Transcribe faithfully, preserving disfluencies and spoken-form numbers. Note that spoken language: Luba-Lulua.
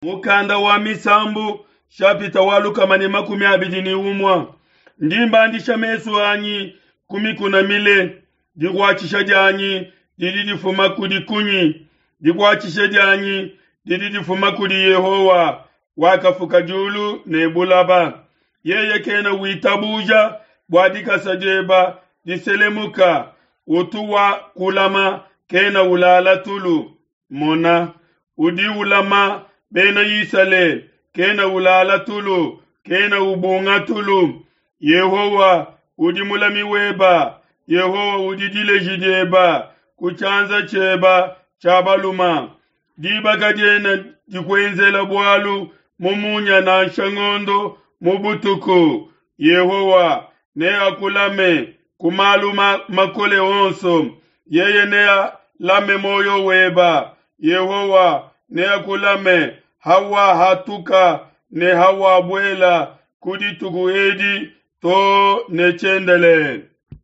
Mukanda wa Misambu shapita wa lukama ne makumi abidi ne umue ndi mbandisha mesu anyi ku mikuna mile dikuatshisha dianyi didi difuma kudi kunyi dikuatshisha dianyi didi difuma kudi Yehowa wakafuka diulu ne bulaba yeye kena witabuja bua dikasa dieba diselemuka utu wa kulama kena ulala tulu mona udi ulama bena Isalele kena ulala tulu kena ubunga tulu Yehowa udi mulami weba Yehowa udi dileji dieba ku tshianza tshieba tshia baluma diba kadiena dikuenzela bualu mu munya nansha ngondo mu butuku Yehowa neakulame ku malu makole onso yeye nealame muoyo weba Yehowa neakulame hawahatuka ne hawabuela ku dituku edi to ne tshiendelele.